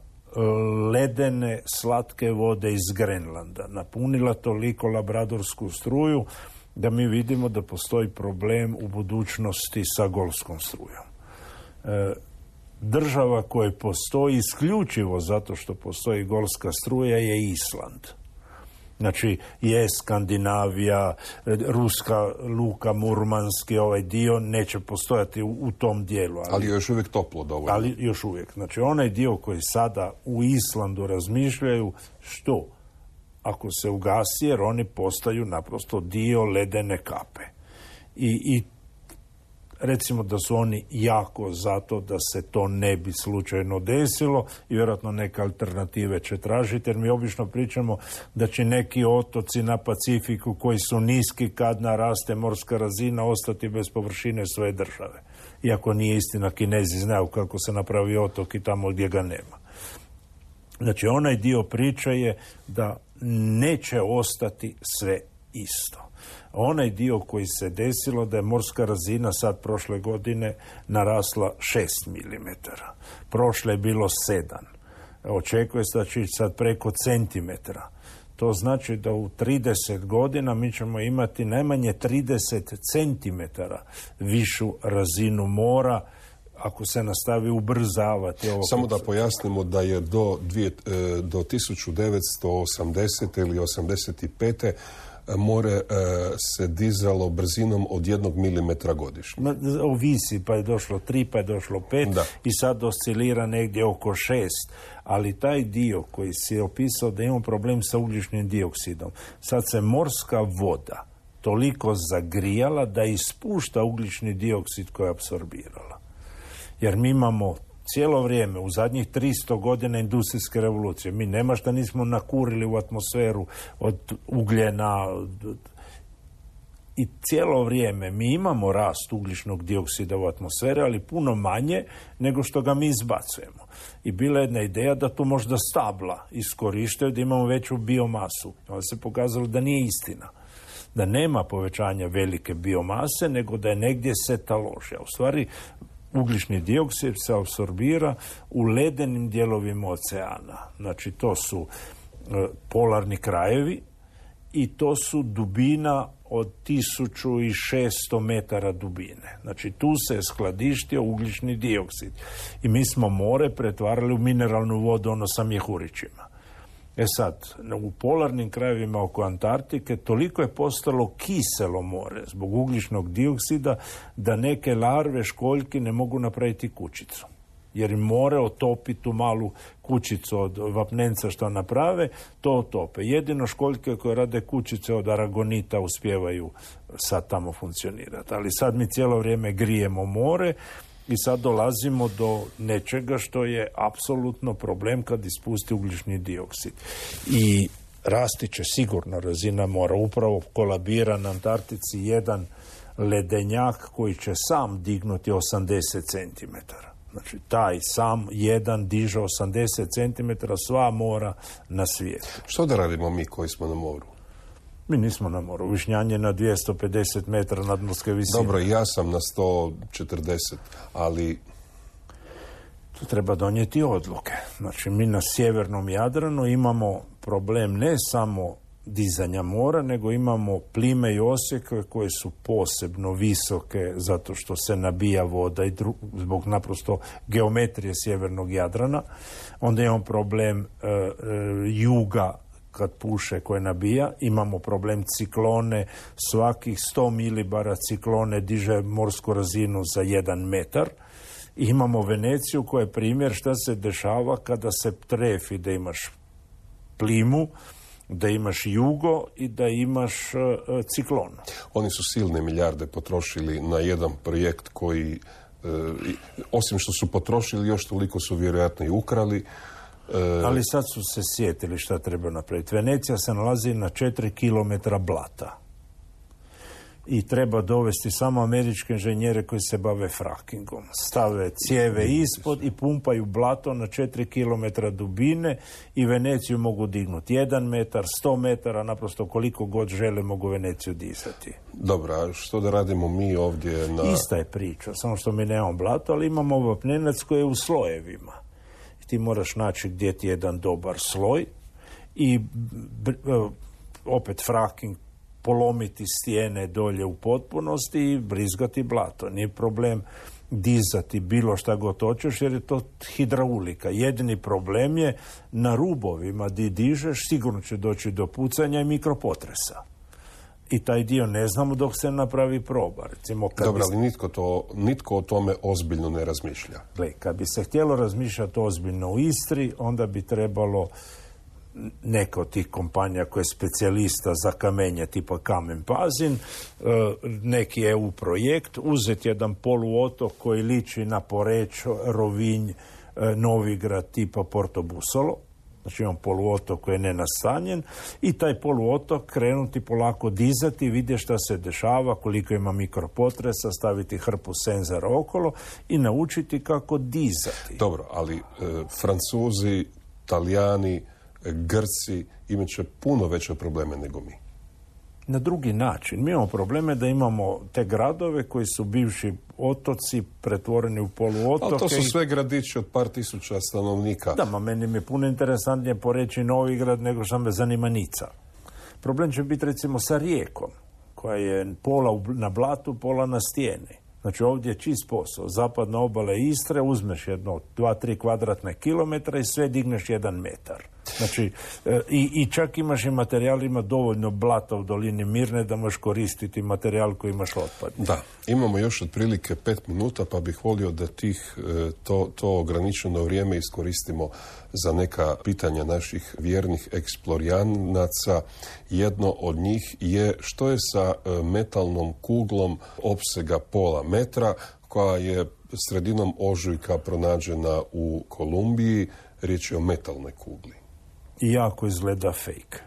ledene slatke vode iz Grenlanda napunila toliko labradorsku struju da mi vidimo da postoji problem u budućnosti sa golfskom strujom. Država koja postoji isključivo zato što postoji golfska struja je Island. Znači je Skandinavija, ruska luka, Murmanski, ovaj dio neće postojati u tom dijelu. Ali je još uvijek toplo dovoljno. Ali još uvijek. Znači onaj dio koji sada u Islandu razmišljaju što ako se ugasi, jer oni postaju naprosto dio ledene kape. I recimo da su oni jako zato da se to ne bi slučajno desilo i vjerojatno neke alternative će tražiti, jer mi obično pričamo da će neki otoci na Pacifiku koji su niski kad naraste morska razina ostati bez površine svoje države. Iako nije istina, Kinezi znaju kako se napravi otok i tamo gdje ga nema. Znači onaj dio priče je da neće ostati sve isto. Onaj dio koji se desilo da je morska razina sad prošle godine narasla 6 mm. Prošle je bilo 7. Očekuje se da će sad preko centimetra. To znači da u 30 godina mi ćemo imati najmanje 30 centimetara višu razinu mora ako se nastavi ubrzavati. Samo da pojasnimo da je do 1980. ili 85. more se dizalo brzinom od 1 milimetra godišnje. Ovisi, pa je došlo 3, pa je došlo 5 i sad oscilira negdje oko 6. Ali taj dio koji si je opisao da imamo problem sa ugljičnim dioksidom, sad se morska voda toliko zagrijala da ispušta ugljični dioksid koji je apsorbirala. Jer mi imamo cijelo vrijeme, u zadnjih 300 godina industrijske revolucije, mi nema šta nismo nakurili u atmosferu od ugljena i cijelo vrijeme mi imamo rast ugljičnog dioksida u atmosferi, ali puno manje nego što ga mi izbacujemo. I bila je jedna ideja da to možda stabla iskorištaju, da imamo veću biomasu. Onda se pokazalo da nije istina. Da nema povećanja velike biomase, nego da je negdje se taloži. A u stvari, ugljični dioksid se apsorbira u ledenim dijelovima oceana. Znači, to su polarni krajevi i to su dubina od 1600 metara dubine. Znači, tu se je skladištio ugljični dioksid. I mi smo more pretvarali u mineralnu vodu, ono sa mjehurićima. Sad, u polarnim krajevima oko Antarktike toliko je postalo kiselo more zbog ugljičnog dioksida da neke larve školjki ne mogu napraviti kućicu. Jer im more otopi tu malu kućicu od vapnenca što naprave, to otope. Jedino školjke koje rade kućice od aragonita uspijevaju sad tamo funkcionirati. Ali sad mi cijelo vrijeme grijemo more i sad dolazimo do nečega što je apsolutno problem kad ispusti ugljični dioksid. I rasti će sigurno razina mora. Upravo kolabira na Antarktici jedan ledenjak koji će sam dignuti 80 cm. Znači, taj sam jedan diže 80 cm sva mora na svijetu. Što da radimo mi koji smo na moru? Mi nismo na moru. Višnjanje na 250 metara nadmorske visine. Dobro, ja sam na 140, ali... Tu treba donijeti odluke. Znači, mi na sjevernom Jadranu imamo problem ne samo dizanja mora, nego imamo plime i osjeke koje su posebno visoke zato što se nabija voda i zbog naprosto geometrije sjevernog Jadrana. Onda imamo problem juga kad puše koje nabija, imamo problem ciklone, svakih 100 milibara ciklone diže morsku razinu za 1 metar. I imamo Veneciju koja je primjer šta se dešava kada se trefi, da imaš plimu, da imaš jugo i da imaš ciklon. Oni su silne milijarde potrošili na jedan projekt koji, osim što su potrošili, još toliko su vjerojatno i ukrali. Ali sad su se sjetili šta treba napraviti. Venecija se nalazi na 4 kilometra blata. I treba dovesti samo američke inženjere koji se bave frackingom. Stave cijeve ispod i pumpaju blato na 4 kilometra dubine i Veneciju mogu dignuti 1 metar, 100 metara, naprosto koliko god žele mogu Veneciju dizati. Dobro, a što da radimo mi ovdje na... Ista je priča, samo što mi nemamo blato, ali imamo vapnenac koji je u slojevima. I ti moraš naći gdje ti je jedan dobar sloj i opet fracking, polomiti stijene dolje u potpunosti i brizgati blato. Nije problem dizati bilo šta god hoćeš jer je to hidraulika. Jedini problem je na rubovima di dižeš sigurno će doći do pucanja i mikropotresa. I taj dio ne znamo dok se napravi proba. Recimo, dobro, ali nitko o tome ozbiljno ne razmišlja. Gle, kad bi se htjelo razmišljati ozbiljno u Istri, onda bi trebalo neka od tih kompanija koja je specijalista za kamenje tipa Kamen Pazin, neki EU projekt, uzeti jedan poluotok koji liči na Poreč, Rovinj, Novigrad tipa Porto Busolo, znači imam poluotok koji je nenastanjen i taj poluotok krenuti polako dizati, vidjeti šta se dešava, koliko ima mikropotresa, staviti hrpu senzora okolo i naučiti kako dizati. Dobro, ali Francuzi, Talijani, Grci imat će puno veće probleme nego mi. Na drugi način. Mi imamo probleme da imamo te gradove koji su bivši otoci pretvoreni u poluotoke. Ali to su sve gradići od par tisuća stanovnika. Da, meni mi je puno interesantnije poreći Novigrad nego što me zanima Nica. Problem će biti recimo sa Rijekom, koja je pola na blatu, pola na stijeni. Znači ovdje je čist posao. Zapadna obala Istre, uzmeš jedno 2-3 kvadratne kilometra i sve digneš 1 metar. Znači, i čak imaš i materijal, ima dovoljno blata u dolini Mirne da možeš koristiti materijal koji imaš otpad. Da, imamo još otprilike 5 minuta, pa bih volio da to ograničeno vrijeme iskoristimo za neka pitanja naših vjernih eksplorijanaca. Jedno od njih je što je sa metalnom kuglom opsega pola metra, koja je sredinom ožujka pronađena u Kolumbiji. Riječ je o metalnoj kugli. I jako izgleda fake.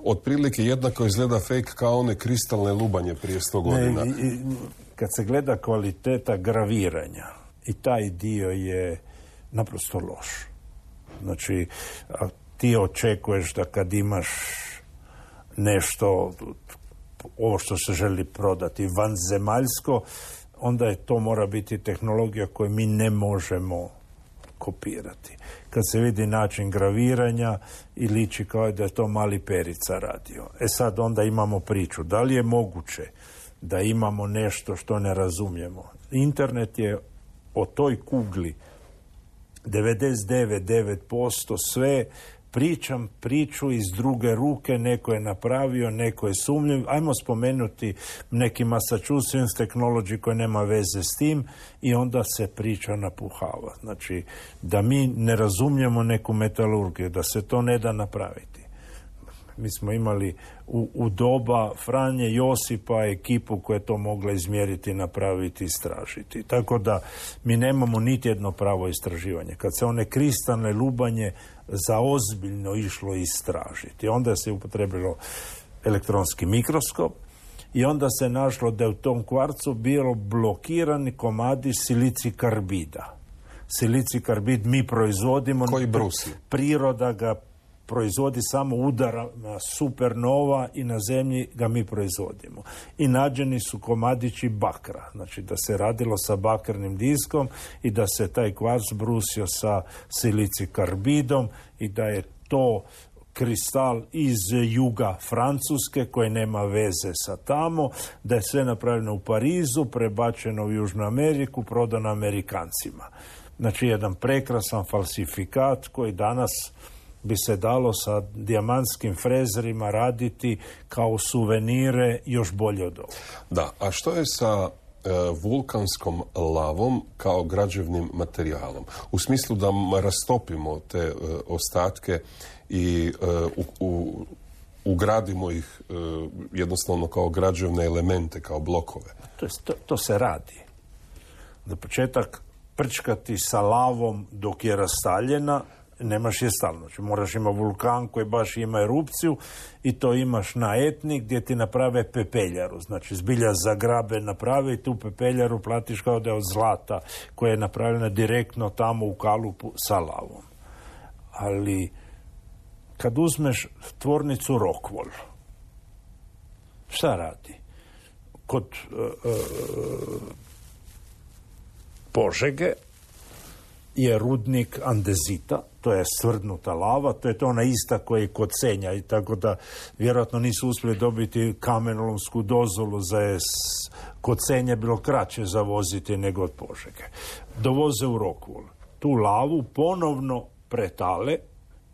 Otprilike jednako izgleda fake kao one kristalne lubanje prije 100 godina. Kad se gleda kvaliteta graviranja, i taj dio je naprosto loš. Znači, ti očekuješ da kad imaš nešto, ovo što se želi prodati vanzemaljsko, onda je to mora biti tehnologija koju mi ne možemo kopirati. Kad se vidi način graviranja i liči kao da je to mali Perica radio. Sad onda imamo priču. Da li je moguće da imamo nešto što ne razumijemo? Internet je o toj kugli 99,9% sve. Pričam priču iz druge ruke, neko je napravio, neko je sumnjiv. Ajmo spomenuti neki Massachusetts Technology koji nema veze s tim i onda se priča napuhava. Znači, da mi ne razumijemo neku metalurgiju, da se to ne da napraviti. Mi smo imali u doba Franje Josipa ekipu koja je to mogla izmjeriti, napraviti, istražiti. Tako da mi nemamo niti jedno pravo istraživanje. Kad se one kristalne lubanje za ozbiljno išlo istražiti, onda se upotrebilo elektronski mikroskop i onda se našlo da je u tom kvarcu bilo blokirani komadi silici karbida. Silici karbid mi proizvodimo. Koji brusi? Priroda ga proizvodi samo udara na supernova i na zemlji ga mi proizvodimo. I nađeni su komadići bakra. Znači da se radilo sa bakrnim diskom i da se taj kvarc brusio sa silici karbidom i da je to kristal iz juga Francuske koji nema veze sa tamo, da je sve napravljeno u Parizu, prebačeno u Južnu Ameriku, prodano Amerikancima. Znači jedan prekrasan falsifikat koji danas bi se dalo sa dijamantskim frezerima raditi kao suvenire još bolje od ovoga. Da, a što je sa vulkanskom lavom kao građevnim materijalom? U smislu da rastopimo te ostatke i ugradimo ih jednostavno kao građevne elemente, kao blokove. To se radi. Za početak prčkati sa lavom dok je rastaljena, nemaš je stalno. Znači, moraš imati vulkan koji baš ima erupciju i to imaš na Etni gdje ti naprave pepeljaru. Znači, zbilja zagrabe naprave i tu pepeljaru platiš kao da je od zlata koja je napravljena direktno tamo u kalupu sa lavom. Ali kad uzmeš tvornicu Rockwool, šta radi? Kod Požege je rudnik andezita, to je svrdnuta lava, to je to ona ista koja je kod Senja i tako da vjerojatno nisu uspjeli dobiti kamenolomsku dozvolu za kod Senja bilo kraće zavoziti nego od Požege. Dovoze u Rockwool. Tu lavu ponovno pretale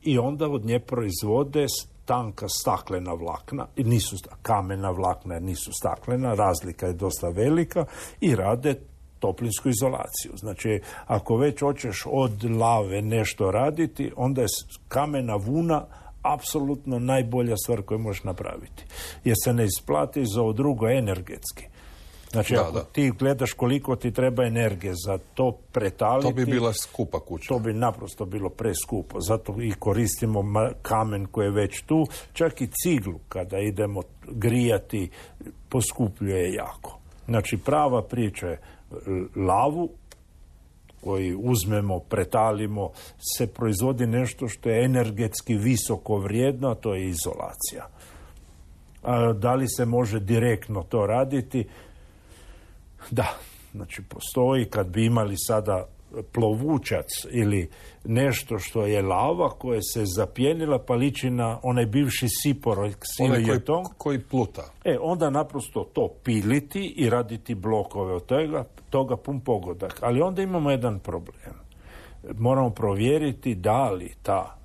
i onda od nje proizvode tanka staklena vlakna, nisu kamena vlakna jer nisu staklena, razlika je dosta velika i rade toplinsku izolaciju. Znači, ako već hoćeš od lave nešto raditi, onda je kamena vuna apsolutno najbolja stvar koju možeš napraviti. Jer se ne isplati za ovo drugo energetski. Znači, ako ti gledaš koliko ti treba energije za to pretaliti, to bi bila skupa kuća. To bi naprosto bilo preskupo. Zato i koristimo kamen koji je već tu. Čak i ciglu kada idemo grijati poskupljuje jako. Znači, prava priča je lavu koju uzmemo, pretalimo, se proizvodi nešto što je energetski visoko vrijedno, a to je izolacija. A da li se može direktno to raditi? Da, znači postoji, kad bi imali sada plovučac ili nešto što je lava koja se zapjenila pa liči na onaj bivši sipor koji pluta. Onda naprosto to piliti i raditi blokove od toga pun pogodak. Ali onda imamo jedan problem. Moramo provjeriti da li ta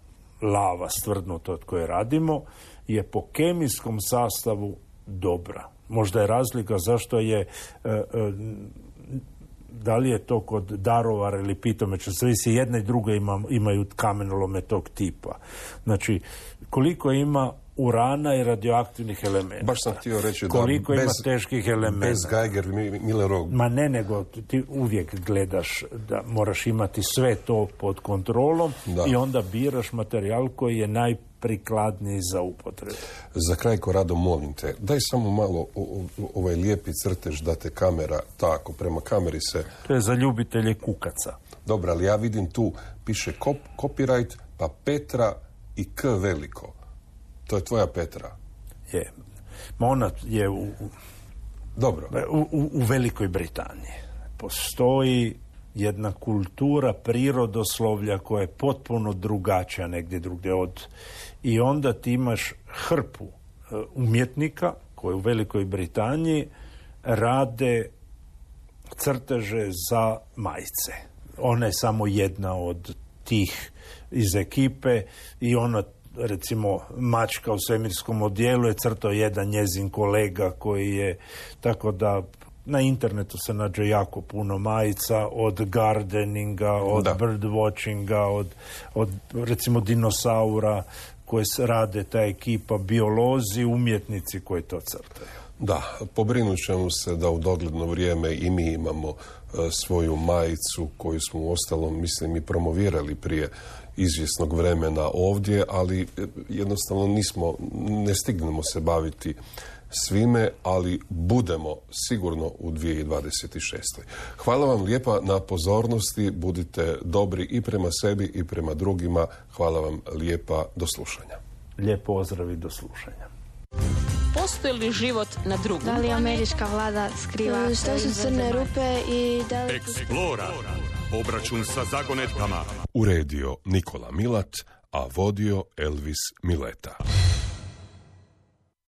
lava stvrdnuta od koje radimo, je po kemijskom sastavu dobra. Možda je razlika zašto je da li je to kod darovara ili pitomeća, sve se jedne i druge imaju kamenolome tog tipa. Znači, koliko ima urana i radioaktivnih elementa. Baš sam htio reći koliko ima teških elementa. Bez Geiger-Millerov. Ma ne, nego ti uvijek gledaš da moraš imati sve to pod kontrolom i onda biraš materijal koji je najprikladniji za upotrebu. Za kraj, Korado, molim te, daj samo malo ovaj lijepi crtež da te kamera tako, prema kameri se... To je za ljubitelje kukaca. Dobro, ali ja vidim tu, piše copyright, pa Petra i K veliko. To je tvoja Petra. Je. Ma ona je Dobro. U Velikoj Britaniji. Postoji jedna kultura prirodoslovlja koja je potpuno drugačija negdje drugdje i onda ti imaš hrpu umjetnika koji u Velikoj Britaniji rade crteže za majice. Ona je samo jedna od tih iz ekipe i ona, recimo, mačka u svemirskom odijelu je crtao jedan njezin kolega koji je, tako da na internetu se nađe jako puno majica, od gardeninga, od birdwatchinga, od recimo dinosaura koje rade ta ekipa, biolozi, umjetnici koji to crtaju. Da, pobrinut ćemo se da u dogledno vrijeme i mi imamo svoju majicu koju smo u ostalom, mislim, i promovirali prije izvjesnog vremena ovdje, ali jednostavno ne stignemo se baviti svime, ali budemo sigurno u 2026. Hvala vam lijepa na pozornosti, budite dobri i prema sebi i prema drugima. Hvala vam lijepa, do slušanja. Lijep pozdrav i do slušanja. Postoji li život na drugom? Da li američka vlada skriva što su crne rupe i da li... Explora. Obračun sa zagonetkama. Uredio Nikola Milat, a vodio Elvis Mileta.